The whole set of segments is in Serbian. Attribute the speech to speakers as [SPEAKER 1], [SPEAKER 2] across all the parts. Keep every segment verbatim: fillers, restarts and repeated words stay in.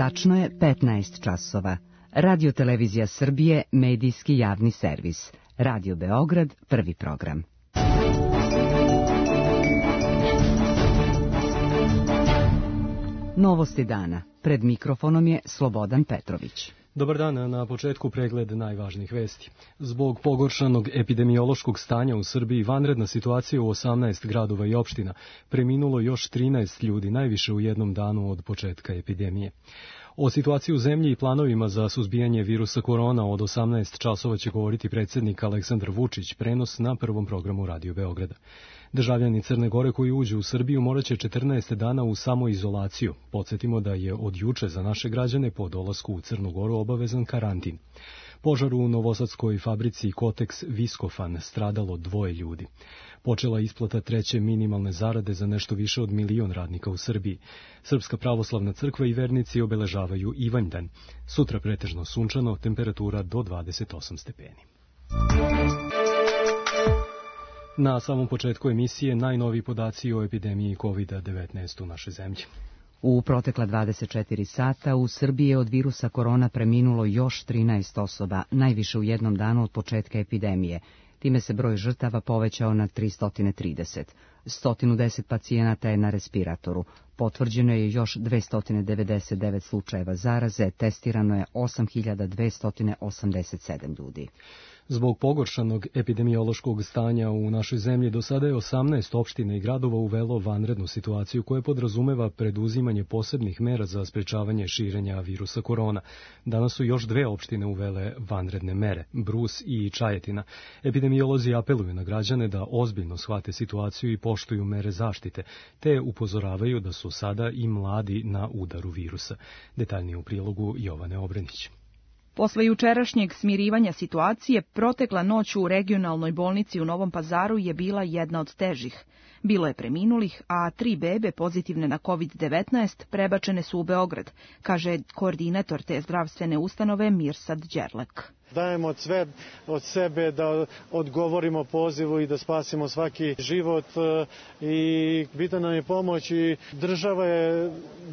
[SPEAKER 1] Tačno je petnaest časova. Radio Televizija Srbije, medijski javni servis. Radio Beograd, prvi program. Novosti dana. Pred mikrofonom je Slobodan Petrović.
[SPEAKER 2] Dobar dan, na početku pregled najvažnijih vesti. Zbog pogoršanog epidemiološkog stanja u Srbiji, vanredna situacija u osamnaest gradova i opština, preminulo još trinaest ljudi, najviše u jednom danu od početka epidemije. O situaciji u zemlji i planovima za suzbijanje virusa korona od osamnaest časova će govoriti predsjednik Aleksandar Vučić, prenos na prvom programu Radio Beograda. Državljani Crne Gore koji uđu u Srbiju morat će četrnaest dana u samoizolaciju. Podsjetimo da je od juče za naše građane po dolasku u Crnu Goru obavezan karantin. Požar u novosadskoj fabrici Kotex Viskofan, stradalo dvoje ljudi. Počela isplata treće minimalne zarade za nešto više od milion radnika u Srbiji. Srpska pravoslavna crkva i vernici obeležavaju Ivanjdan. Sutra pretežno sunčano, temperatura do dvadeset osam stepeni. Na samom početku emisije najnoviji podaci o epidemiji kovid devetnaest u našoj zemlji.
[SPEAKER 1] U protekla dvadeset četiri sata u Srbiji je od virusa korona preminulo još trinaest osoba, najviše u jednom danu od početka epidemije. Time se broj žrtava povećao na tristo trideset. sto deset pacijenata je na respiratoru. Potvrđeno je još dvesta devedeset devet slučajeva zaraze, testirano je osam hiljada dvesta osamdeset sedam ljudi.
[SPEAKER 2] Zbog pogoršanog epidemiološkog stanja u našoj zemlji do sada je osamnaest opština i gradova uvelo vanrednu situaciju koja podrazumeva preduzimanje posebnih mera za sprečavanje širenja virusa korona. Danas su još dve opštine uvele vanredne mere, Brus i Čajetina. Epidemiolozi apeluju na građane da ozbiljno shvate situaciju i poštuju mere zaštite, te upozoravaju da su sada i mladi na udaru virusa. Detaljnije u prilogu Jovane Obrenić.
[SPEAKER 3] Posle jučerašnjeg smirivanja situacije, protekla noć u regionalnoj bolnici u Novom Pazaru je bila jedna od težih. Bilo je preminulih, a tri bebe pozitivne na kovid devetnaest prebačene su u Beograd, kaže koordinator te zdravstvene ustanove Mirsad Đerlek.
[SPEAKER 4] Dajemo sve od sebe da odgovorimo pozivu i da spasimo svaki život i bitna nam je pomoć i država je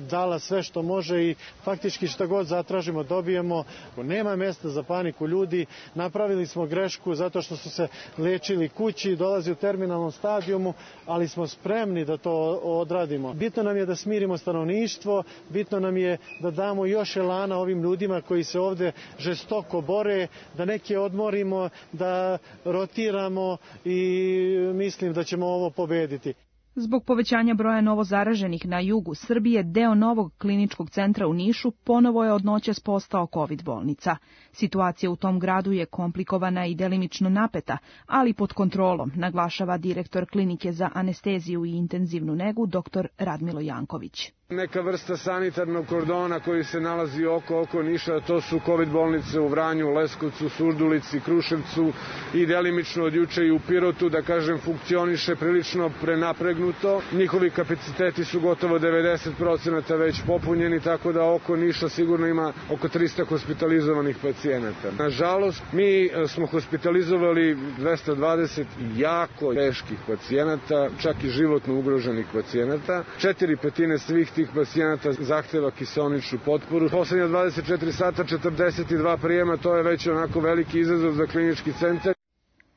[SPEAKER 4] dala sve što može i faktički šta god zatražimo dobijemo. Nema mjesta za paniku ljudi, napravili smo grešku zato što su se lečili kući, dolazi u terminalnom stadijumu, ali smo spremni da to odradimo. Bitno nam je da smirimo stanovništvo, bitno nam je da damo još elana ovim ljudima koji se ovde žestoko bore, da neke odmorimo, da rotiramo i mislim da ćemo ovo pobediti.
[SPEAKER 3] Zbog povećanja broja novozaraženih na jugu Srbije, deo novog kliničkog centra u Nišu ponovo je od noćas postao kovid bolnica. Situacija u tom gradu je komplikovana i delimično napeta, ali pod kontrolom, naglašava direktor klinike za anesteziju i intenzivnu negu dr. Radmilo Janković.
[SPEAKER 5] Neka vrsta sanitarnog kordona koji se nalazi oko oko Niša, to su kovid bolnice u Vranju, Leskovcu, Surdulici, Kruševcu i delimično od juče i u Pirotu, da kažem, funkcioniše prilično prenapregnuto. Njihovi kapaciteti su gotovo devedeset procenata već popunjeni, tako da oko Niša sigurno ima oko trista hospitalizovanih pacijenata. Nažalost, mi smo hospitalizovali dvesta dvadeset jako teških pacijenata, čak i životno ugroženih pacijenata. Četiri petine svih tih pacijenata zahteva kiseoničnu potporu. Poslednja dvadeset četiri sata, četrdeset dva prijema, to je već onako veliki izazov za klinički centar.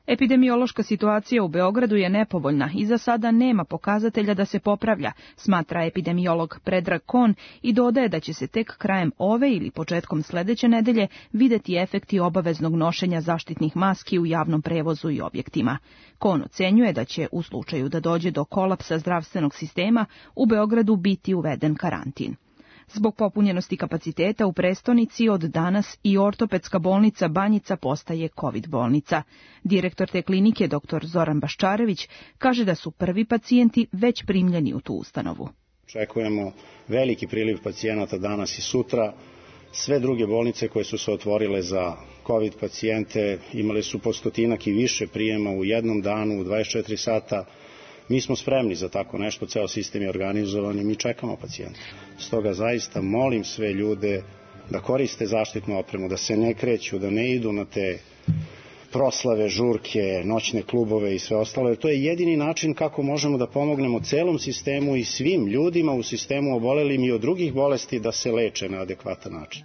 [SPEAKER 3] Epidemiološka situacija u Beogradu je nepovoljna i za sada nema pokazatelja da se popravlja, smatra epidemiolog Predrag Kon i dodaje da će se tek krajem ove ili početkom sledeće nedelje videti efekti obaveznog nošenja zaštitnih maski u javnom prevozu i objektima. Kon ocenjuje da će u slučaju da dođe do kolapsa zdravstvenog sistema u Beogradu biti uveden karantin. Zbog popunjenosti kapaciteta u prestonici od danas i ortopedska bolnica Banjica postaje kovid bolnica. Direktor te klinike, dr. Zoran Baščarević, kaže da su prvi pacijenti već primljeni u tu ustanovu.
[SPEAKER 6] Očekujemo veliki priliv pacijenata danas i sutra. Sve druge bolnice koje su se otvorile za kovid pacijente imale su po stotinak i više prijema u jednom danu, u dvadeset četiri sata. Mi smo spremni za tako nešto, ceo sistem je organizovan i mi čekamo pacijente. Stoga zaista molim sve ljude da koriste zaštitnu opremu, da se ne kreću, da ne idu na te proslave, žurke, noćne klubove i sve ostalo. To je jedini način kako možemo da pomognemo celom sistemu i svim ljudima u sistemu obolelim i od drugih bolesti da se leče na adekvatan način.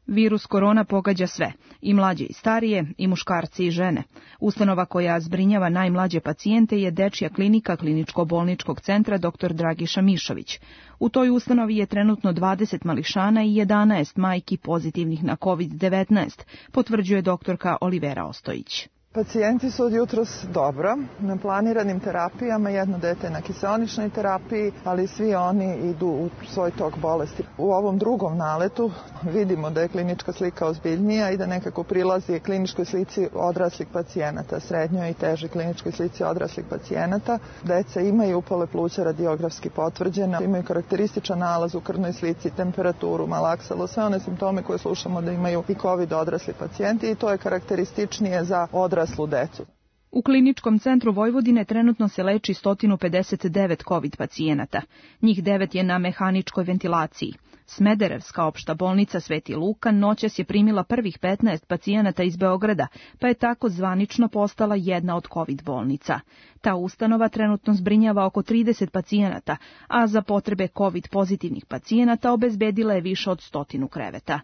[SPEAKER 3] Virus korona pogađa sve, i mlađe i starije, i muškarci i žene. Ustanova koja zbrinjava najmlađe pacijente je Dečija klinika Kliničko-bolničkog centra doktor Dragiša Mišović. U toj ustanovi je trenutno dvadeset mališana i jedanaest majki pozitivnih na kovid devetnaest, potvrđuje doktorka Olivera Ostojić.
[SPEAKER 7] Pacijenti su od jutros dobro, na planiranim terapijama, jedno dete na kiseoničnoj terapiji, ali svi oni idu u svoj tok bolesti. U ovom drugom naletu vidimo da je klinička slika ozbiljnija i da nekako prilazi kliničkoj slici odraslih pacijenata, srednjoj i težoj kliničkoj slici odraslih pacijenata. Deca imaju upale pluća radiografski potvrđene, imaju karakterističan nalaz u krvnoj slici, temperaturu, malaksalo, sve one simptome koje slušamo da imaju i COVID odrasli pacijenti i to je karakterističnije za odrasli decu.
[SPEAKER 3] U Kliničkom centru Vojvodine trenutno se leči sto pedeset devet COVID pacijenata. Njih devet je na mehaničkoj ventilaciji. Smederevska opšta bolnica Sveti Luka noćas je primila prvih petnaest pacijenata iz Beograda, pa je tako zvanično postala jedna od COVID bolnica. Ta ustanova trenutno zbrinjava oko trideset pacijenata, a za potrebe COVID pozitivnih pacijenata obezbedila je više od stotinu kreveta.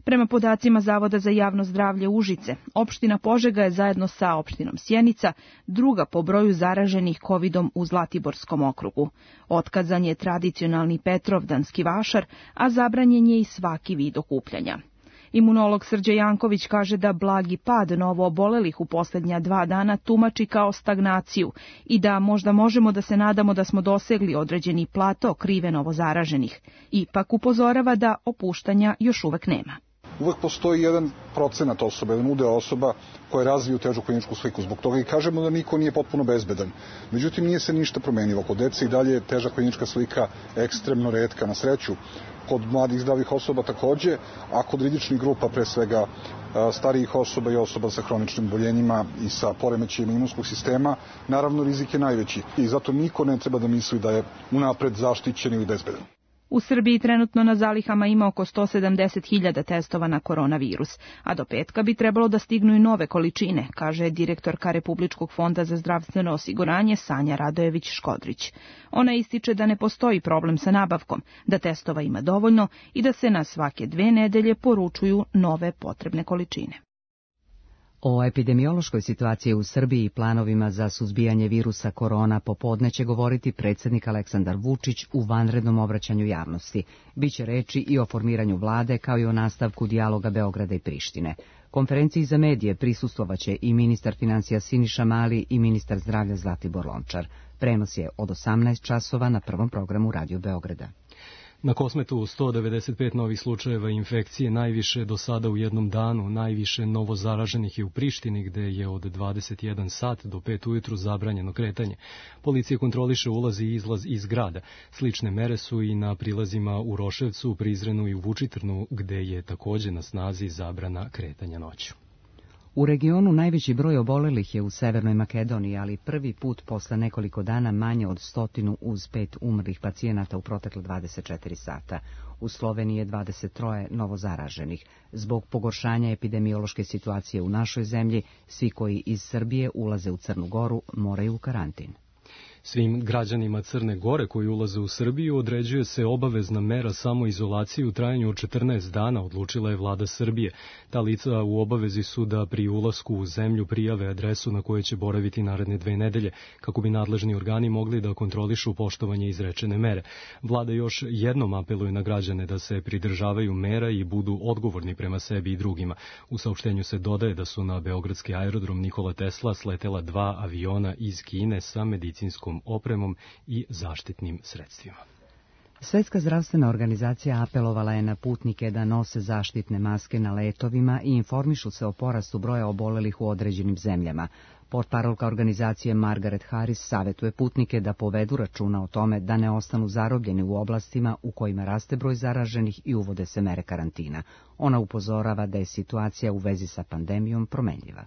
[SPEAKER 3] Prema podacima Zavoda za javno zdravlje Užice, opština Požega je zajedno sa opštinom Sjenica druga po broju zaraženih kovidom u Zlatiborskom okrugu. Otkazan je tradicionalni Petrovdanski vašar, a zabranjen je i svaki vid okupljanja. Imunolog Srđe Janković kaže da blagi pad novoobolelih u posljednja dva dana tumači kao stagnaciju i da možda možemo da se nadamo da smo dosegli određeni plato krive novozaraženih. Ipak upozorava da opuštanja još uvek nema.
[SPEAKER 8] Uvek postoji jedan procenat osoba, jedan udeo osoba koje razviju težu kliničku sliku. Zbog toga i kažemo da niko nije potpuno bezbedan. Međutim, nije se ništa promenilo. Kod dece i dalje je teža klinička slika ekstremno retka, na sreću. Kod mladih zdravih osoba takođe, a kod rizičnih grupa, pre svega starijih osoba i osoba sa hroničnim boljenjima i sa poremećajima imunskog sistema, naravno rizik je najveći. I zato niko ne treba da misli da je unapred zaštićen ili bezbedan.
[SPEAKER 3] U Srbiji trenutno na zalihama ima oko sto sedamdeset hiljada testova na koronavirus, a do petka bi trebalo da stignu i nove količine, kaže direktorka Republičkog fonda za zdravstveno osiguranje Sanja Radojević-Škodrić. Ona ističe da ne postoji problem sa nabavkom, da testova ima dovoljno i da se na svake dve nedelje poručuju nove potrebne količine.
[SPEAKER 1] O epidemiološkoj situaciji u Srbiji i planovima za suzbijanje virusa korona popodne će govoriti predsjednik Aleksandar Vučić u vanrednom obraćanju javnosti. Biće reči i o formiranju vlade kao i o nastavku dijaloga Beograda i Prištine. Konferenciji za medije prisustvovaće i ministar financija Siniša Mali i ministar zdravlja Zlatibor Lončar. Prenos je od osamnaest časova na prvom programu Radio Beograda.
[SPEAKER 2] Na Kosmetu sto devedeset pet novih slučajeva infekcije, najviše do sada u jednom danu, najviše novozaraženih je u Prištini, gde je od dvadeset jedan sat do pet ujutru zabranjeno kretanje. Policija kontroliše ulaz i izlaz iz grada. Slične mere su i na prilazima u Roševcu, u Prizrenu i u Vučitrnu, gde je takođe na snazi zabrana kretanja noću.
[SPEAKER 1] U regionu najveći broj obolelih je u Severnoj Makedoniji, ali prvi put posle nekoliko dana manje od stotinu uz pet umrlih pacijenata u protekle dvadeset četiri sata. U Sloveniji je dvadeset tri novozaraženih. Zbog pogoršanja epidemiološke situacije u našoj zemlji, svi koji iz Srbije ulaze u Crnu Goru moraju u karantin.
[SPEAKER 2] Svim građanima Crne Gore koji ulaze u Srbiju određuje se obavezna mera samoizolacije u trajanju od četrnaest dana, odlučila je vlada Srbije. Ta lica u obavezi su da pri ulasku u zemlju prijave adresu na kojoj će boraviti naredne dve nedelje, kako bi nadležni organi mogli da kontrolišu poštovanje izrečene mere. Vlada još jednom apeluje na građane da se pridržavaju mera i budu odgovorni prema sebi i drugima. U saopštenju se dodaje da su na beogradski aerodrom Nikola Tesla sletela dva aviona iz Kine sa medicinskom opremom i zaštitnim sredstvima.
[SPEAKER 1] Svetska zdravstvena organizacija apelovala je na putnike da nose zaštitne maske na letovima i informišu se o porastu broja obolelih u određenim zemljama. Portparolka organizacije Margaret Harris savjetuje putnike da povedu računa o tome da ne ostanu zarobljeni u oblastima u kojima raste broj zaraženih i uvode se mere karantina. Ona upozorava da je situacija u vezi sa pandemijom promenljiva.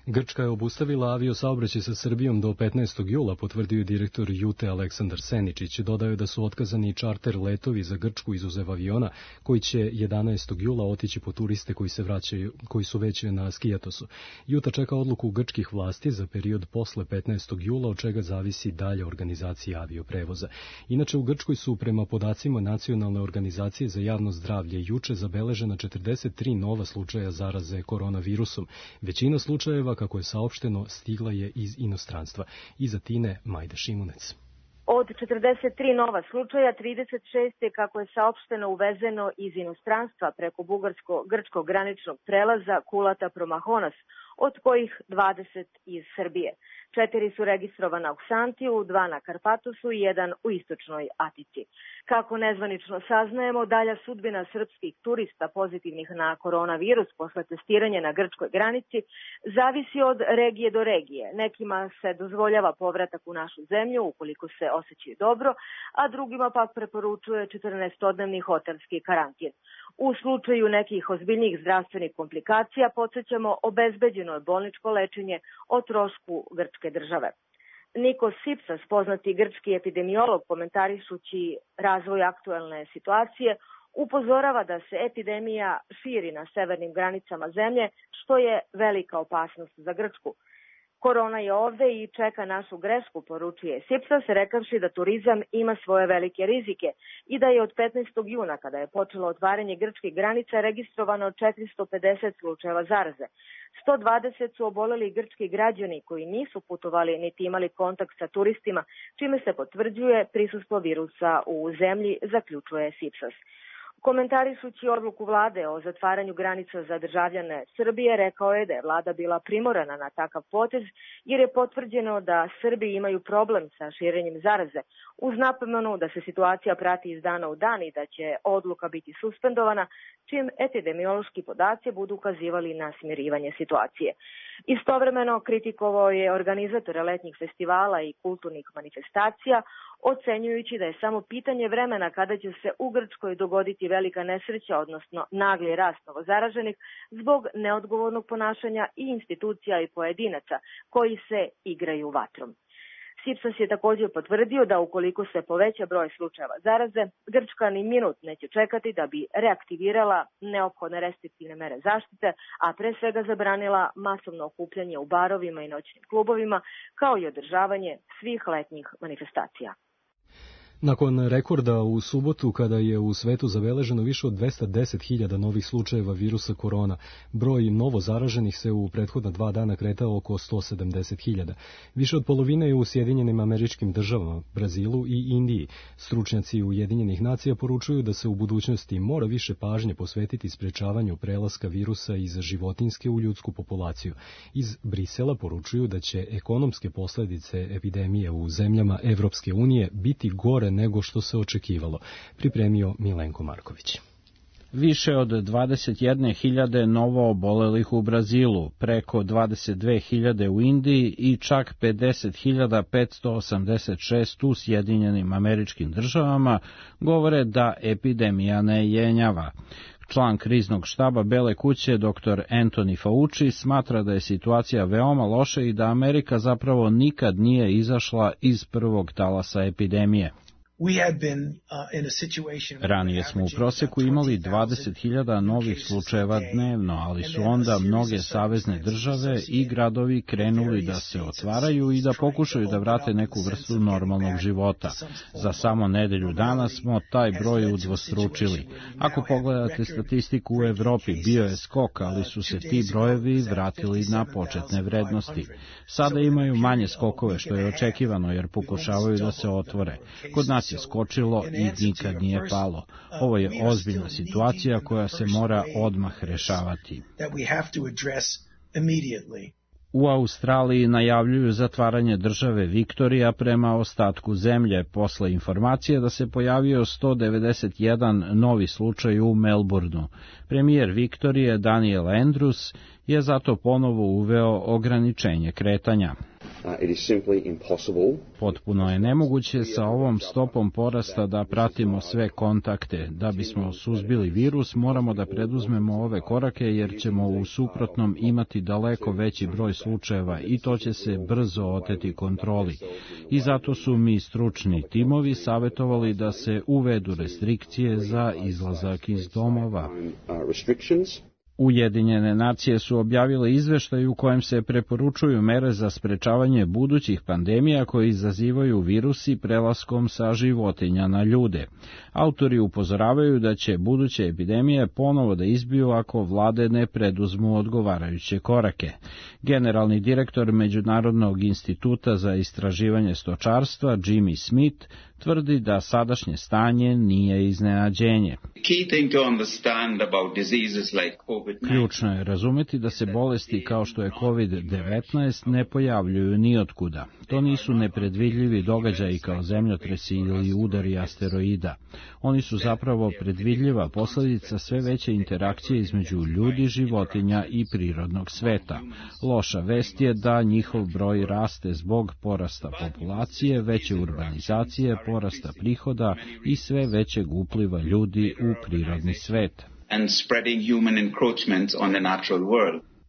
[SPEAKER 2] Grčka je obustavila aviosaobraćaj sa Srbijom do petnaestog jula, potvrdio je direktor Jute Aleksandar Seničić. Dodao je da su otkazani i čarter letovi za Grčku izuzev aviona, koji će jedanaestog jula otići po turiste koji se vraćaju, koji su već na Skijatosu. Juta čeka odluku grčkih vlasti za period posle petnaestog jula, od čega zavisi dalje organizacija avioprevoza. Inače, u Grčkoj su prema podacima Nacionalne organizacije za javno zdravlje juče zabeležena četrdeset tri nova slučaja zaraze koronavirusom. Većina slučajeva, kako je saopšteno, stigla je iz inostranstva. Iz Atine, Majda Šimunec.
[SPEAKER 9] Od četrdeset tri nova slučaja, trideset šest je, kako je saopšteno, uvezeno iz inostranstva preko bugarsko-grčkog graničnog prelaza Kulata Promahonas, od kojih dvadeset iz Srbije. Četiri su registrovana u Ksantiju, dva na Karpatosu i jedan u istočnoj Atici. Kako nezvanično saznajemo, dalja sudbina srpskih turista pozitivnih na koronavirus posle testiranja na grčkoj granici zavisi od regije do regije. Nekima se dozvoljava povratak u našu zemlju ukoliko se osjećaju dobro, a drugima pak preporučuje četrnaestodnevni hotelski karantin. U slučaju nekih ozbiljnijih zdravstvenih komplikacija podsjećamo, obezbeđeno je bolničko lečenje o trošku grčke države. Nikos Sipsas, poznati grčki epidemiolog, komentarišući razvoj aktuelne situacije, upozorava da se epidemija širi na severnim granicama zemlje, što je velika opasnost za Grčku. Korona je ovde i čeka našu grešku, poručuje Sipsas, rekavši da turizam ima svoje velike rizike i da je od petnaestog juna, kada je počelo otvaranje grčkih granica, registrovano četiristo pedeset slučajeva zaraze. sto dvadeset su oboleli grčki građani koji nisu putovali niti imali kontakt sa turistima, čime se potvrđuje prisustvo virusa u zemlji, zaključuje Sipsas. Komentarišući odluku vlade o zatvaranju granica za državljane Srbije, rekao je da je vlada bila primorana na takav potez jer je potvrđeno da Srbi imaju problem sa širenjem zaraze, uz napomenu da se situacija prati iz dana u dan i da će odluka biti suspendovana čim epidemiološki podaci budu ukazivali na smirivanje situacije. Istovremeno kritikovao je organizatore letnjih festivala i kulturnih manifestacija, ocenjujući da je samo pitanje vremena kada će se u Grčkoj dogoditi velika nesreća, odnosno nagli rast novozaraženih zbog neodgovornog ponašanja i institucija i pojedinaca koji se igraju vatrom. Sipsas je također potvrdio da ukoliko se poveća broj slučajeva zaraze, Grčka ni minut neće čekati da bi reaktivirala neophodne restriktivne mere zaštite, a pre svega zabranila masovno okupljanje u barovima i noćnim klubovima, kao i održavanje svih letnjih manifestacija.
[SPEAKER 2] Nakon rekorda u subotu, kada je u svetu zabeleženo više od dvesta deset hiljada novih slučajeva virusa korona, broj novo zaraženih se u prethodna dva dana kretao oko sto sedamdeset hiljada. Više od polovine je u Sjedinjenim Američkim Državama, Brazilu i Indiji. Stručnjaci Ujedinjenih nacija poručuju da se u budućnosti mora više pažnje posvetiti sprečavanju prelaska virusa iz životinjske u ljudsku populaciju. Iz Brisela poručuju da će ekonomske posljedice epidemije u zemljama Evropske unije biti gore nego što se očekivalo, pripremio Milenko Marković.
[SPEAKER 10] Više od dvadeset jedne hiljade novo obolelih u Brazilu, preko dvadeset dve hiljade u Indiji i čak pedeset hiljada petsto osamdeset šest u Sjedinjenim Američkim Državama govore da epidemija ne jenjava. Član kriznog štaba Bele kuće, doktor Anthony Fauci, smatra da je situacija veoma loša i da Amerika zapravo nikad nije izašla iz prvog talasa epidemije. Ranije smo u proseku imali dvadeset hiljada novih slučajeva dnevno, ali su onda mnoge savezne države i gradovi krenuli da se otvaraju i da pokušaju da vrate neku vrstu normalnog života. Za samo nedelju dana smo taj broj udvostručili. Ako pogledate statistiku u Evropi, bio je skok, ali su se ti brojevi vratili na početne vrednosti. Sada imaju manje skokove, što je očekivano, jer pokušavaju da se otvore. Kod nas je skočilo i nikad nije palo. Ovo je ozbiljna situacija koja se mora odmah rešavati. U Australiji najavljuju zatvaranje države Viktorija prema ostatku zemlje, posle informacije da se pojavio sto devedeset jedan novi slučaj u Melbourneu. Premijer Viktorije Daniel Andrews je zato ponovo uveo ograničenje kretanja. Potpuno je nemoguće sa ovom stopom porasta da pratimo sve kontakte. Da bismo suzbili virus, moramo da preduzmemo ove korake jer ćemo u suprotnom imati daleko veći broj slučajeva i to će se brzo oteti kontroli. I zato su mi stručni timovi savjetovali da se uvedu restrikcije za izlazak iz domova. Ujedinjene nacije su objavile izveštaj u kojem se preporučuju mere za sprečavanje budućih pandemija koje izazivaju virusi prelaskom sa životinja na ljude. Autori upozoravaju da će buduće epidemije ponovo da izbiju ako vlade ne preduzmu odgovarajuće korake. Generalni direktor Međunarodnog instituta za istraživanje stočarstva Jimmy Smith tvrdi da sadašnje stanje nije iznenađenje. Ključno je razumeti da se bolesti kao što je kovid devetnaest ne pojavljuju nijotkuda. To nisu nepredvidljivi događaji kao zemljotresi ili udari asteroida. Oni su zapravo predvidljiva posljedica sve veće interakcije između ljudi, životinja i prirodnog sveta. Loša vest je da njihov broj raste zbog porasta populacije, veće urbanizacije, porasta prihoda i sve većeg upliva ljudi u prirodni svet.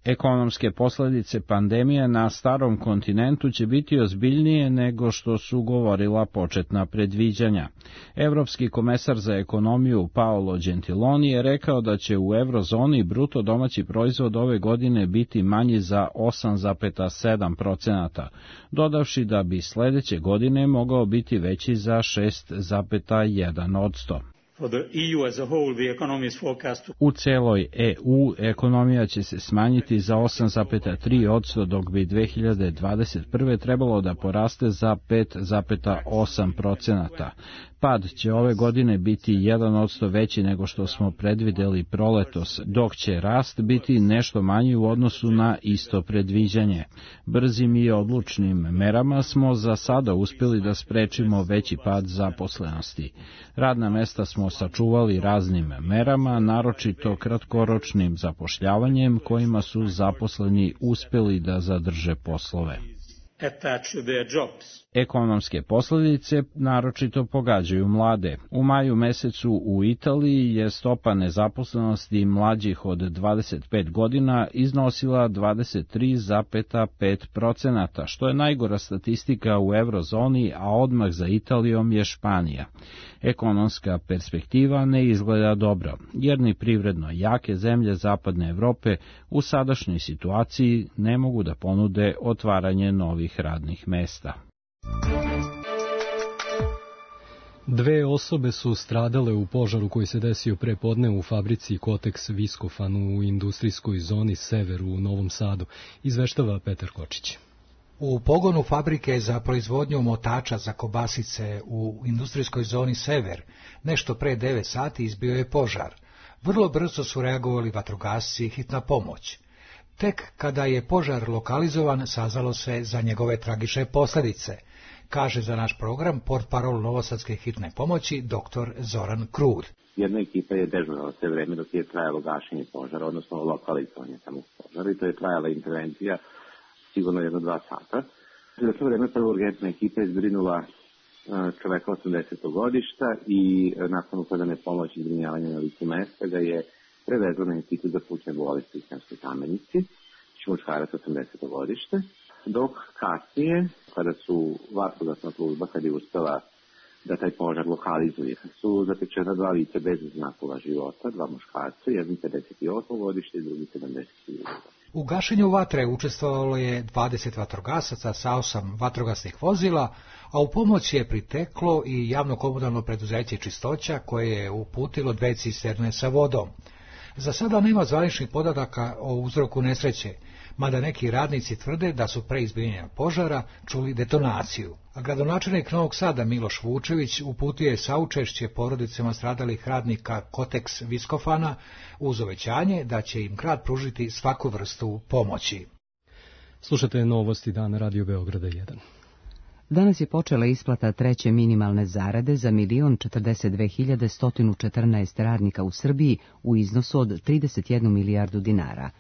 [SPEAKER 10] Ekonomske posljedice pandemije na starom kontinentu će biti ozbiljnije nego što su govorila početna predviđanja. Evropski komesar za ekonomiju Paolo Gentiloni je rekao da će u eurozoni bruto domaći proizvod ove godine biti manji za osam zarez sedam procenata, dodavši da bi sljedeće godine mogao biti veći za šest zarez jedan posto. U celoj E U ekonomija će se smanjiti za osam zarez tri posto, dok bi dve hiljade dvadeset prve trebalo da poraste za pet zarez osam procenata. Pad će ove godine biti jedan posto veći nego što smo predvideli proletos, dok će rast biti nešto manji u odnosu na isto predviđanje. Brzim i odlučnim merama smo za sada uspjeli da sprečimo veći pad zaposlenosti. Radna mesta smo sačuvali raznim merama, naročito kratkoročnim zapošljavanjem kojima su zaposleni uspjeli da zadrže poslove. Ekonomske posljedice naročito pogađaju mlade. U maju mesecu u Italiji je stopa nezaposlenosti mlađih od dvadeset pet godina iznosila dvadeset tri zarez pet procenata, što je najgora statistika u eurozoni, a odmah za Italijom je Španija. Ekonomska perspektiva ne izgleda dobro, jer ni privredno jake zemlje Zapadne Evrope u sadašnjoj situaciji ne mogu da ponude otvaranje novih radnih mesta.
[SPEAKER 2] Dve osobe su stradale u požaru koji se desio pre podne u fabrici Kotex Viscofan u industrijskoj zoni Sever u Novom Sadu, izveštava Petar Kočić.
[SPEAKER 11] U pogonu fabrike za proizvodnju motača za kobasice u industrijskoj zoni Sever nešto pre devet sati izbio je požar. Vrlo brzo su reagovali vatrogasci i hitna pomoć. Tek kada je požar lokalizovan, saznalo se za njegove tragične posljedice, kaže za naš program portparol Novosadske hitne pomoći dr. Zoran Krud.
[SPEAKER 12] Jedna ekipa je dežurala sve vreme dok je trajalo gašenje požara, odnosno lokalizovanje samog požara, i to je trajala intervencija sigurno jedno dva sata. Za to vreme prvo urgentna ekipa je zbrinula čoveka osamdesetog godišta i nakon ukazane pomoći zbrinjavanja na licu mesta ga je prevezla na institut za plućne bolesti u Sremskoj Kamenici, muškarac osamdesetog godište, dok kasnije, kada su vatrogasna služba, kada je uspela da taj požar lokalizuje, su zatečena dva lica bez znakova života, dva muškarca, jedan pedeset osam godište i drugi sedamdeset godina.
[SPEAKER 11] U gašenju vatre učestvovalo je dvadeset vatrogasaca sa osam vatrogasnih vozila, a u pomoć je priteklo i javno komunalno preduzeće Čistoća koje je uputilo dve cisterne sa vodom. Za sada nema zvaničnih podataka o uzroku nesreće, mada neki radnici tvrde da su pre izbijanja požara čuli detonaciju. A gradonačelnik Novog Sada Miloš Vučević uputio je saučešće porodicama stradalih radnika Kotex Viscofana uz obećanje da će im grad pružiti svaku vrstu pomoći.
[SPEAKER 2] Slušate novosti dana Radio Beograda jedan.
[SPEAKER 1] Danas je počela isplata treće minimalne zarade za milion četrdeset dve hiljade sto četrnaest radnika u Srbiji u iznosu od trideset jednu milijardu dinara.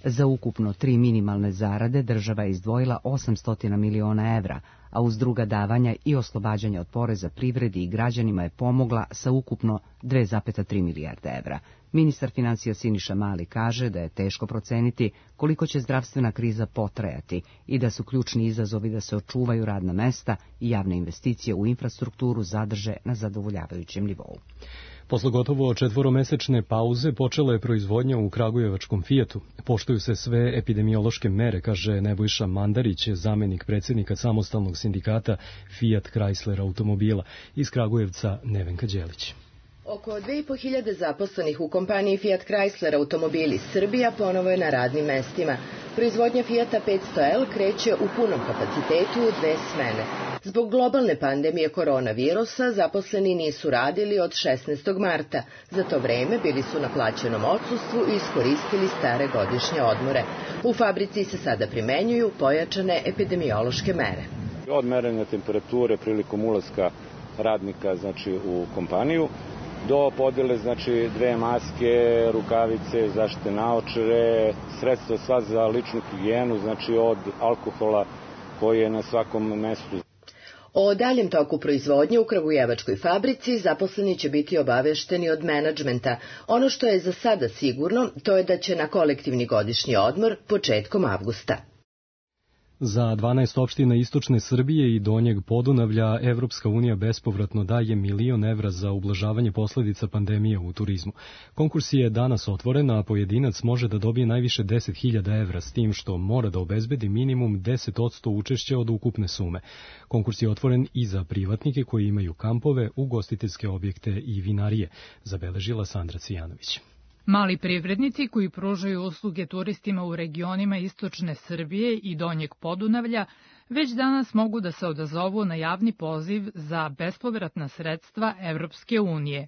[SPEAKER 1] Za ukupno tri minimalne zarade država je izdvojila osamsto miliona evra, a uz druga davanja i oslobađanja od poreza privredi i građanima je pomogla sa ukupno dve zarez tri milijarde evra. Ministar financija Siniša Mali kaže da je teško proceniti koliko će zdravstvena kriza potrajati i da su ključni izazovi da se očuvaju radna mesta i javne investicije u infrastrukturu zadrže na zadovoljavajućem nivou.
[SPEAKER 2] Posle gotovo četvoromesečne pauze počela je proizvodnja u kragujevačkom Fijatu. Poštuju se sve epidemiološke mere, kaže Nebojša Mandarić, zamenik predsjednika samostalnog sindikata Fiat Chrysler automobila. Iz Kragujevca Nevenka Đelić.
[SPEAKER 13] Oko dve i po hiljade zaposlenih u kompaniji Fiat Chrysler automobili Srbija ponovo je na radnim mestima. Proizvodnja Fiata petsto L kreće u punom kapacitetu u dve smene. Zbog globalne pandemije koronavirusa zaposleni nisu radili od šesnaestog marta. Za to vreme bili su na plaćenom odsustvu i iskoristili stare godišnje odmore. U fabrici se sada primenjuju pojačane epidemiološke mere.
[SPEAKER 14] Od merenja temperature prilikom ulaska radnika znači u kompaniju do podele znači dve maske, rukavice, zaštitne naočare, sredstva sva za ličnu higijenu, znači od alkohola koji je na svakom mestu.
[SPEAKER 13] O daljem toku proizvodnje u kragujevačkoj fabrici zaposleni će biti obavešteni od menadžmenta. Ono što je za sada sigurno, to je da će na kolektivni godišnji odmor početkom avgusta.
[SPEAKER 2] Za dvanaest opština istočne Srbije i Donjeg Podunavlja Evropska unija bespovratno daje milion evra za ublažavanje posledica pandemije u turizmu. Konkurs je danas otvoren, a pojedinac može da dobije najviše deset hiljada evra, s tim što mora da obezbedi minimum deset posto učešća od ukupne sume. Konkurs je otvoren i za privatnike koji imaju kampove, ugostiteljske objekte i vinarije, zabeležila Sandra Cvijanović.
[SPEAKER 15] Mali privrednici koji pružaju usluge turistima u regionima istočne Srbije i Donjeg Podunavlja već danas mogu da se odazovu na javni poziv za bespovratna sredstva Evropske unije,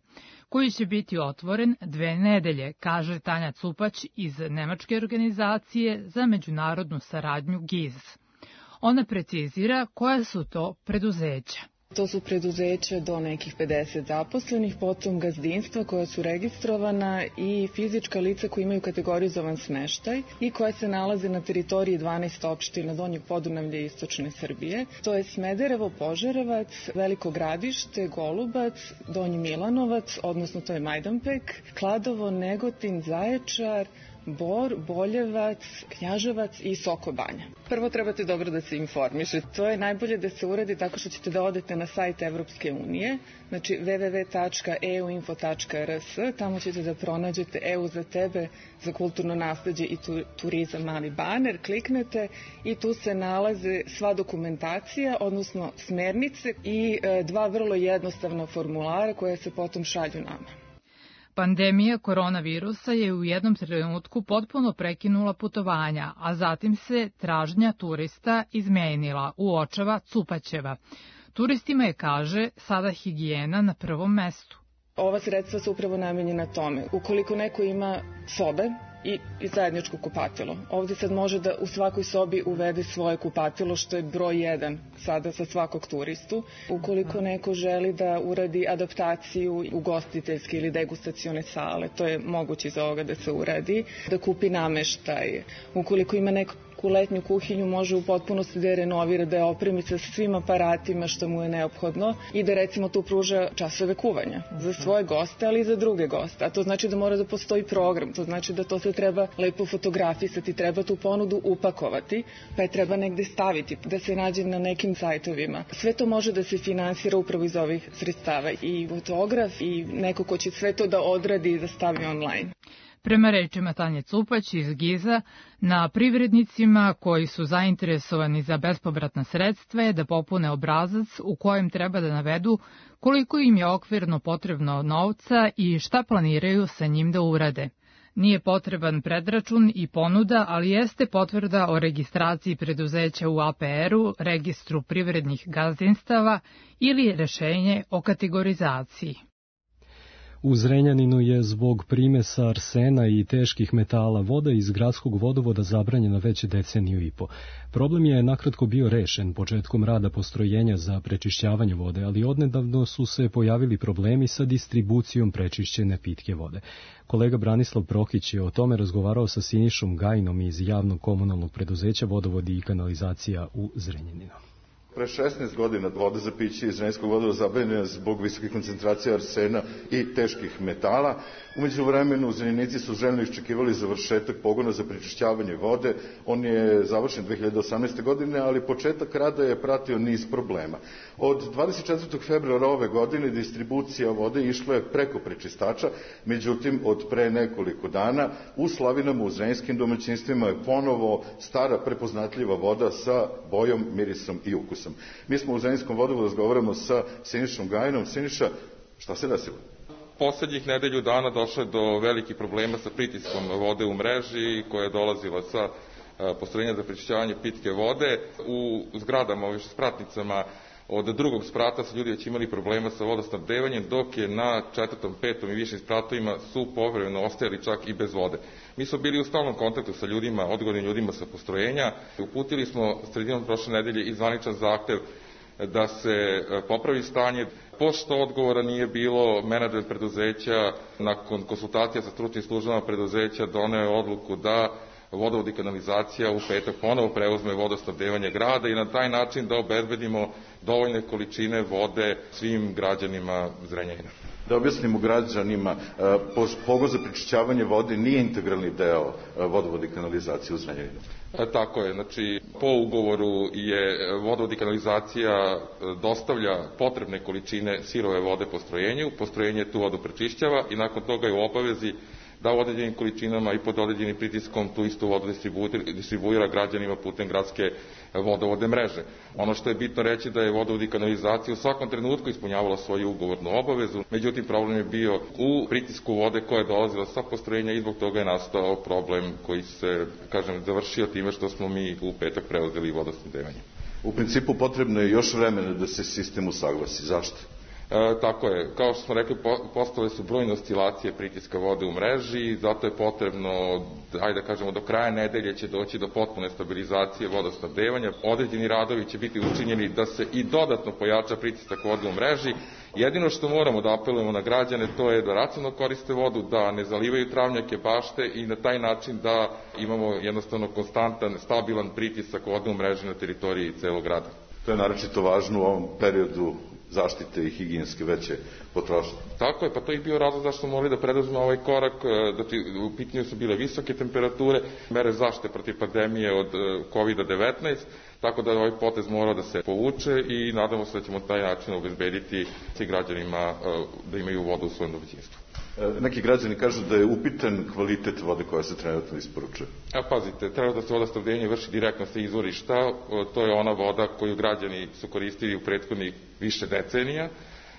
[SPEAKER 15] koji će biti otvoren dve nedelje, kaže Tanja Cupać iz nemačke organizacije za međunarodnu saradnju G I Z. Ona precizira koja su to preduzeća.
[SPEAKER 16] To su preduzeća do nekih pedeset zaposlenih, potom gazdinstva koja su registrovana i fizička lica koja imaju kategorizovan smeštaj i koja se nalaze na teritoriji dvanaest opština Donjeg Podunavlja i istočne Srbije. To je Smederevo, Požarevac, Veliko Gradište, Golubac, Donji Milanovac, odnosno to je Majdanpek, Kladovo, Negotin, Zaječar, Bor, Boljevac, Knjaževac i Sokobanja. Prvo trebate dobro da se informišete. To je najbolje da se uradi tako što ćete da odete na sajt Evropske unije, znači w w w tačka e u info tačka r s, tamo ćete da pronađete E U za tebe, za kulturno nasleđe i turizam mali baner, kliknete i tu se nalaze sva dokumentacija, odnosno smernice i dva vrlo jednostavna formulara koja se potom šalju nama.
[SPEAKER 15] Pandemija koronavirusa je u jednom trenutku potpuno prekinula putovanja, a zatim se tražnja turista izmenila, uočava Cupaćeva. Turistima je, kaže, sada higijena na prvom mestu.
[SPEAKER 16] Ova sredstva su upravo namenjena tome. Ukoliko neko ima sobe i, i zajedničko kupatilo, ovdje sad može da u svakoj sobi uvede svoje kupatilo, što je broj jedan sada za svakog turistu. Ukoliko neko želi da uradi adaptaciju ugostiteljske ili degustacione sale, to je moguće iz ovoga da se uradi, da kupi nameštaj. Ukoliko ima neko u letnju kuhinju, može u potpunosti da je renovira, da je opremi sa svim aparatima što mu je neophodno i da recimo tu pruža časove kuvanja za svoje goste, ali i za druge goste. A to znači da mora da postoji program, to znači da to se treba lepo fotografisati, treba tu ponudu upakovati, pa je treba negde staviti, da se nađe na nekim sajtovima. Sve to može da se finansira upravo iz ovih sredstava, i fotograf i neko ko će sve to da odradi i da stavi online.
[SPEAKER 15] Prema rečima Tanje Cupać iz G I Z-a, na privrednicima koji su zainteresovani za bespovratna sredstva je da popune obrazac u kojem treba da navedu koliko im je okvirno potrebno novca i šta planiraju sa njim da urade. Nije potreban predračun i ponuda, ali jeste potvrda o registraciji preduzeća u A P R-u, registru privrednih gazdinstava ili rešenje o kategorizaciji.
[SPEAKER 2] U Zrenjaninu je zbog primesa arsena i teških metala voda iz gradskog vodovoda zabranjena već deceniju i po. Problem je nakratko bio rešen početkom rada postrojenja za prečišćavanje vode, ali odnedavno su se pojavili problemi sa distribucijom prečišćene pitke vode. Kolega Branislav Prokić je o tome razgovarao sa Sinišom Gajinom iz javnog komunalnog preduzeća Vodovodi i kanalizacija u Zrenjaninu.
[SPEAKER 17] Pre šesnaest godina voda za piće iz Zrenjanskog vodovoda zabranjena zbog visoke koncentracije arsena i teških metala. Umeđu vremenu Zrenjanici su željno iščekivali završetak pogona za prečišćavanje vode. On je završen dve hiljade osamnaeste. godine, ali početak rada je pratio niz problema. Od dvadeset četvrtog februara ove godine distribucija vode išla je preko prečistača, međutim od pre nekoliko dana u slavinama u zrenjanskim domaćinstvima je ponovo stara prepoznatljiva voda sa bojom, mirisom i ukusom. Mi smo u Zrenjanskom vodovodu razgovaramo sa Sinišom Gajinom. Siniša, šta se desilo?
[SPEAKER 18] Poslednjih nedelju dana došlo je do velikih problema sa pritiskom vode u mreži koja je dolazila sa postrojenja za prečišćavanje pitke vode. U zgradama, u spratnicama od drugog sprata su ljudi već imali problema sa vodosnabdevanjem, dok je na četvrtom, petom i višim spratovima su povremeno ostajali čak i bez vode. Mi smo bili u stalnom kontaktu sa ljudima, odgovornim ljudima sa postrojenja. Uputili smo sredinom prošle nedelje i zvaničan zahtev da se popravi stanje. Pošto odgovora nije bilo, menadžment preduzeća nakon konsultacija sa stručnim službama preduzeća doneo je odluku da vodovod i kanalizacija u petak ponovo preuzme vodosnabdevanje grada i na taj način da obezbedimo dovoljne količine vode svim građanima Zrenjanina.
[SPEAKER 17] Da objasnimo građanima, pogon za prečišćavanje vode nije integralni deo vodovoda i kanalizacije u Zrenjaninu.
[SPEAKER 18] E, tako je, znači po ugovoru je vodovod i kanalizacija dostavlja potrebne količine sirove vode postrojenju, postrojenje tu vodu prečišćava i nakon toga je u obavezi da u određenim količinama i pod određenim pritiskom tu istu vodu distribuira građanima putem gradske vodovodne mreže. Ono što je bitno reći da je vodovod i kanalizacija u svakom trenutku ispunjavala svoju ugovornu obavezu, međutim problem je bio u pritisku vode koja je dolazila sa postrojenja i zbog toga je nastao problem koji se, kažem, završio time što smo mi u petak preuzeli vodosnabdevanje.
[SPEAKER 17] U principu potrebno je još vremena da se sistem usaglasi. Zašto?
[SPEAKER 18] E, tako je, kao što smo rekli, postale su brojne oscilacije pritiska vode u mreži, zato je potrebno, ajde da kažemo, do kraja nedelje će doći do potpune stabilizacije vodosnabdevanja. Određeni radovi će biti učinjeni da se i dodatno pojača pritisak vode u mreži. Jedino što moramo da apelujemo na građane, to je da racionalno koriste vodu, da ne zalivaju travnjake, bašte i na taj način da imamo jednostavno konstantan, stabilan pritisak vode u mreži na teritoriji celog grada.
[SPEAKER 17] To je naročito važno u ovom periodu zaštite i higijenske veće potrošnje.
[SPEAKER 18] Tako je, pa to je bio razlog zašto smo morali da preduzmemo ovaj korak. Znači, u pitanju su bile visoke temperature, mere zaštite protiv pandemije od kovid devetnaest, tako da ovaj potez mora da se povuče i nadamo se da ćemo taj način obezbediti svim građanima da imaju vodu u svojem domaćinstvu.
[SPEAKER 17] Neki građani kažu da je upitan kvalitet vode koja se trenutno isporučuje.
[SPEAKER 18] A pazite, trenutno se vodosnabdevanje vrši direktno sa izvorišta, to je ona voda koju građani su koristili u prethodnih više decenija,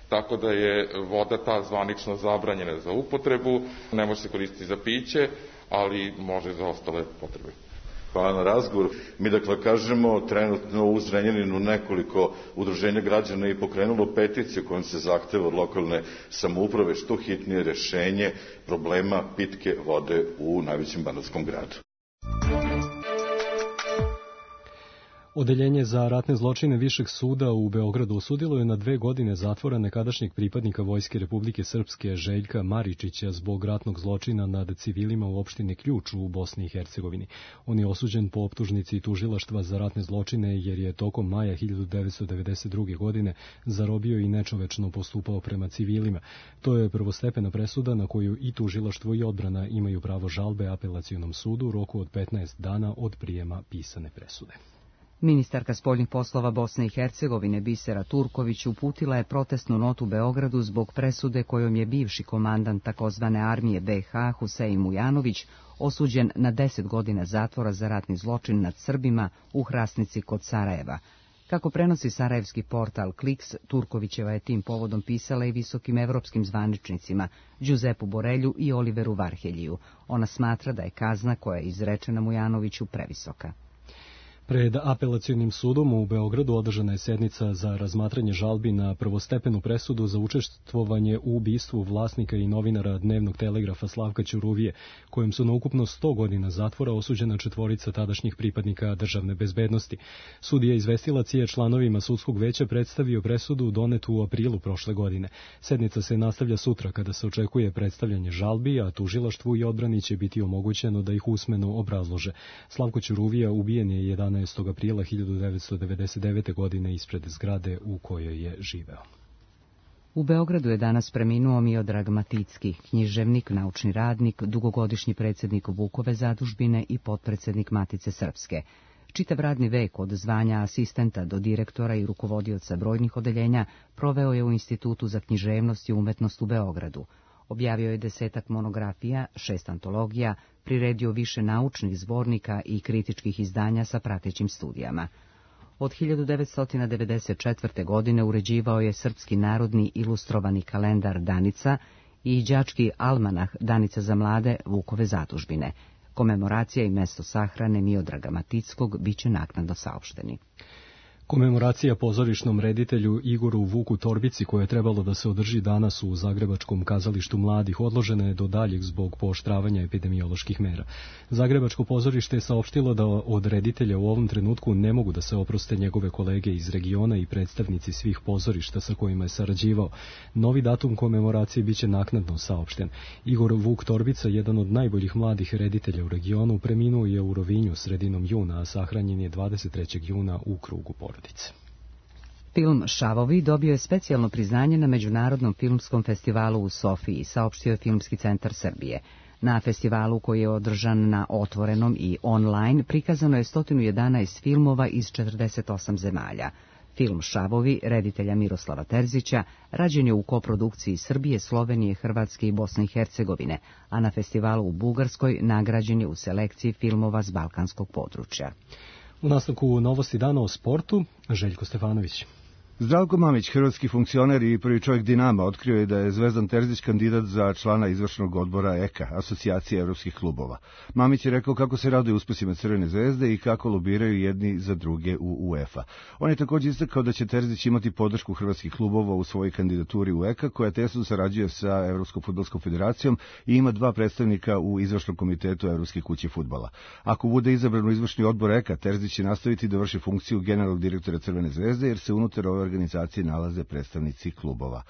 [SPEAKER 18] tako da je voda ta zvanično zabranjena za upotrebu, ne može se koristiti za piće, ali može za ostale potrebe.
[SPEAKER 17] Hvala na razgovor. Mi dakle kažemo, trenutno u Zrenjaninu nekoliko udruženja građana je pokrenulo peticiju kojom se zahteva od lokalne samouprave što hitnije rešenje problema pitke vode u najvećem banatskom gradu.
[SPEAKER 2] Odeljenje za ratne zločine Višeg suda u Beogradu osudilo je na dve godine zatvora nekadašnjeg pripadnika Vojske Republike Srpske Željka Maričića zbog ratnog zločina nad civilima u opštini Ključ u Bosni i Hercegovini. On je osuđen po optužnici tužilaštva za ratne zločine jer je tokom maja hiljadu devetsto devedeset druge. godine zarobio i nečovečno postupao prema civilima. To je prvostepena presuda na koju i tužilaštvo i odbrana imaju pravo žalbe apelacionom sudu u roku od petnaest dana od prijema pisane presude.
[SPEAKER 1] Ministarka spoljnih poslova Bosne i Hercegovine Bisera Turković uputila je protestnu notu Beogradu zbog presude kojom je bivši komandant takozvane armije be ha Husein Mujanović osuđen na deset godina zatvora za ratni zločin nad Srbima u Hrasnici kod Sarajeva. Kako prenosi sarajevski portal Kliks, Turkovićeva je tim povodom pisala i visokim evropskim zvaničnicima Đuzepu Borelju i Oliveru Varheljiju. Ona smatra da je kazna koja je izrečena Mujanoviću previsoka.
[SPEAKER 2] Pred apelacionim sudom u Beogradu održana je sednica za razmatranje žalbi na prvostepenu presudu za učestvovanje u ubistvu vlasnika i novinara Dnevnog telegrafa Slavka Ćuruvije, kojim su na ukupno sto godina zatvora osuđena četvorica tadašnjih pripadnika državne bezbednosti. Sudija izvestilac je članovima sudskog veća predstavio presudu donetu u aprilu prošle godine. Sednica se nastavlja sutra kada se očekuje predstavljanje žalbi, a tužilaštvu i odbrani će biti omogućeno da ih usmeno obrazlože. Slavko Ćuruvija ubijen je jedanaestog aprila hiljadu devetsto devedeset devete. godine ispred zgrade u kojoj je živeo.
[SPEAKER 1] U Beogradu je danas preminuo Miodrag Maticki, književnik, naučni radnik, dugogodišnji predsjednik Vukove zadužbine i potpredsjednik Matice Srpske. Čitav radni vek od zvanja asistenta do direktora i rukovodioca brojnih odeljenja proveo je u Institutu za književnost i umetnost u Beogradu. Objavio je desetak monografija, šest antologija, priredio više naučnih zbornika i kritičkih izdanja sa pratećim studijama. Od hiljadu devetsto devedeset četvrte. godine uređivao je srpski narodni ilustrovani kalendar Danica i đački almanah Danica za mlade Vukove zadužbine. Komemoracija i mesto sahrane Miodraga Matickog biće naknadno saopšteni.
[SPEAKER 2] Komemoracija pozorišnom reditelju Igoru Vuku Torbici, koja je trebalo da se održi danas u Zagrebačkom kazalištu mladih, odložena je do daljeg zbog pooštravanja epidemioloških mera. Zagrebačko pozorište je saopštilo da od reditelja u ovom trenutku ne mogu da se oproste njegove kolege iz regiona i predstavnici svih pozorišta sa kojima je sarađivao. Novi datum komemoracije biće naknadno saopšten. Igor Vuk Torbica, jedan od najboljih mladih reditelja u regionu, preminuo je u Rovinju sredinom juna, a sahranjen je dvadeset trećeg juna u krugu porodice.
[SPEAKER 1] Film Šavovi dobio je specijalno priznanje na Međunarodnom filmskom festivalu u Sofiji, saopštio je Filmski centar Srbije. Na festivalu, koji je održan na otvorenom i online, prikazano je sto jedanaest filmova iz četrdeset osam zemalja. Film Šavovi, reditelja Miroslava Terzića, rađen je u koprodukciji Srbije, Slovenije, Hrvatske i Bosne i Hercegovine, a na festivalu u Bugarskoj nagrađen je u selekciji filmova s balkanskog područja.
[SPEAKER 2] U nastavku novosti dana o sportu, Željko Stefanović.
[SPEAKER 19] Zdravko Mamić, hrvatski funkcioner i prvi čovjek Dinama, otkrio je da je Zvezdan Terzić kandidat za člana izvršnog odbora E K A, Asocijacije evropskih klubova. Mamić je rekao kako se raduje uspesima Crvene zvezde i kako lobiraju jedni za druge u UEFA. On je također istakao da će Terzić imati podršku hrvatskih klubova u svojoj kandidaturi u E K A, koja tesno sarađuje sa Evropskom fudbalskom federacijom i ima dva predstavnika u izvršnom komitetu Evropske kuće fudbala. Ako bude izabran u izvršni odbor E K A, Terzić će nastaviti da vrši funkciju generalnog direktora Crvene zvezde, jer se unutar ove organizacije nalaze predstavnici klubova.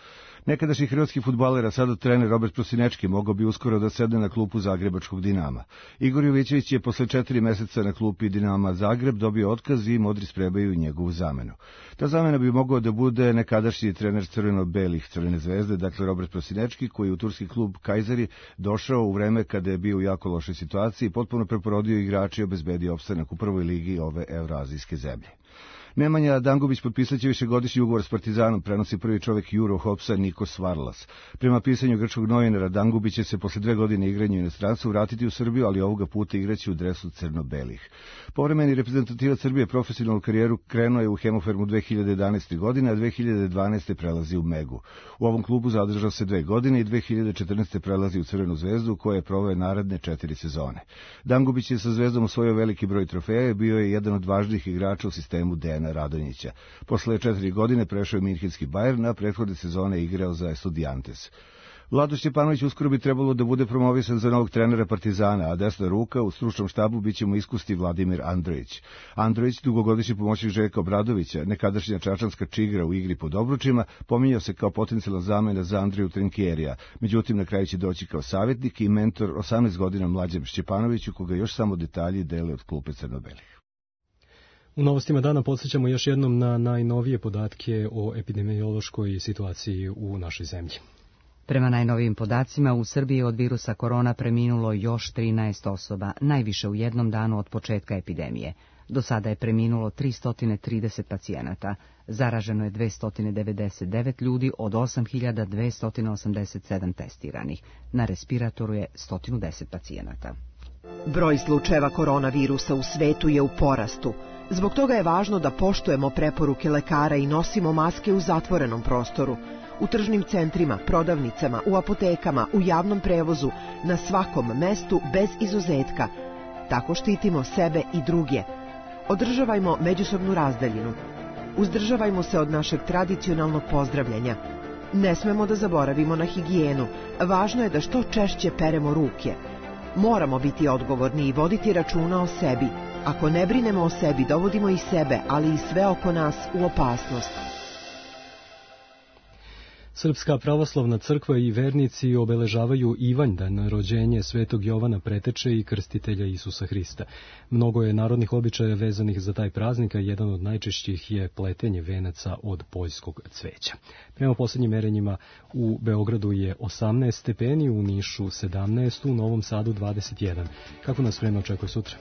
[SPEAKER 19] Nekadašnji hrvatski fudbaler, a sada trener Robert Prosinečki, mogao bi uskoro da sedne na klupu Zagrebačkog Dinama. Igor Jovićević je posle četiri meseca na klupi Dinama Zagreb dobio otkaz i modri sprebaju njegovu zamenu. Ta zamena bi mogao da bude nekadašnji trener crveno-belih Crvene zvezde, dakle Robert Prosinečki, koji je u turski klub Kajzeri došao u vreme kada je bio u jako lošoj situaciji i potpuno preporodio igrače i obezbedio opstanak u prvoj ligi ove evroazijske zemlje. Nemanja Dangubić potpisat će višegodišnji ugovor s Partizanom, prenosi prvi čovjek Euro Hopsa Nikos Varlas. Prema pisanju grčkog novinara, Dangubić će se posle dve godine igranja u inostranstvu vratiti u Srbiju, ali ovoga puta igraće u dresu crno-belih. Povremeni reprezentativac Srbije profesionalnu karijeru krenuo je u Hemofarmu dve hiljade jedanaeste. godine, a dve hiljade dvanaeste. prelazi u Megu. U ovom klubu zadržao se dve godine i dve hiljade četrnaeste. prelazi u Crvenu zvezdu, koja je proveo naredne četiri sezone. Dangubić je sa Zvezdom osvojio veliki broj trofeja i bio je jedan od važnijih igrača u sistemu Dejana Radonjića. Posle četiri godine prešao je Minhenski Bayern, a prethodne sezone igrao za Estudiantes. Vlado Šćepanović uskoro bi trebalo da bude promovisan za novog trenera Partizana, a desna ruka u stručnom štabu biće mu iskusti Vladimir Androjić. Androjić, dugogodišnji pomoćnik Željka Obradovića, nekadašnja čačanska čigra u igri pod obručima, pominjao se kao potencijalna zamena za Andreju Trinkjerija. Međutim, na kraju će doći kao savjetnik i mentor osamnaest godina mlađem Šćepanoviću, koga još samo detalji dele od klupe crno-belih.
[SPEAKER 2] U novostima dana podsjećamo još jednom na najnovije podatke o epidemiološkoj situaciji u našoj zemlji.
[SPEAKER 1] Prema najnovijim podacima, u Srbiji od virusa korona preminulo još trinaest osoba, najviše u jednom danu od početka epidemije. Do sada je preminulo tristo trideset pacijenata. Zaraženo je dvesta devedeset devet ljudi od osam hiljada dvesta osamdeset sedam testiranih. Na respiratoru je sto deset pacijenata.
[SPEAKER 20] Broj slučajeva koronavirusa u svetu je u porastu. Zbog toga je važno da poštujemo preporuke lekara i nosimo maske u zatvorenom prostoru, u tržnim centrima, prodavnicama, u apotekama, u javnom prevozu, na svakom mestu bez izuzetka. Tako štitimo sebe i druge. Održavajmo međusobnu razdaljinu. Uzdržavajmo se od našeg tradicionalnog pozdravljanja. Ne smemo da zaboravimo na higijenu. Važno je da što češće peremo ruke. Moramo biti odgovorni i voditi računa o sebi. Ako ne brinemo o sebi, dovodimo i sebe, ali i sve oko nas u opasnost.
[SPEAKER 2] Srpska pravoslavna crkva i vernici obeležavaju Ivanjdan, rođenje Svetog Jovana Preteče i krstitelja Isusa Hrista. Mnogo je narodnih običaja vezanih za taj praznik, a jedan od najčešćih je pletenje venaca od poljskog cveća. Prema posljednjim merenjima u Beogradu je osamnaest stepeni, u Nišu sedamnaest, u Novom Sadu dvadeset jedan. Kako nas vreme očekuje sutra?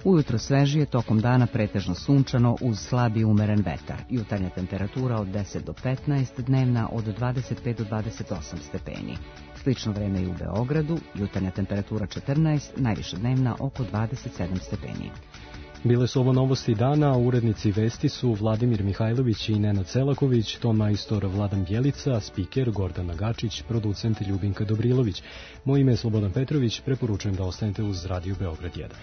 [SPEAKER 1] Ujutro svežije, tokom dana pretežno sunčano uz slabi umeren vetar. Jutarnja temperatura od deset do petnaest, dnevna od dvadeset pet do dvadeset osam stepeni. Slično vreme i u Beogradu, jutarnja temperatura četrnaest, najviša dnevna oko dvadeset sedam stepeni.
[SPEAKER 2] Bile su ovo novosti dana, a urednici vesti su Vladimir Mihajlović i Nenad Selaković, ton majstor Vladan Bjelica, spiker Gordana Gačić, producent Ljubinka Dobrilović. Moje ime je Slobodan Petrović, preporučujem da ostanete uz Radio Beograd jedan.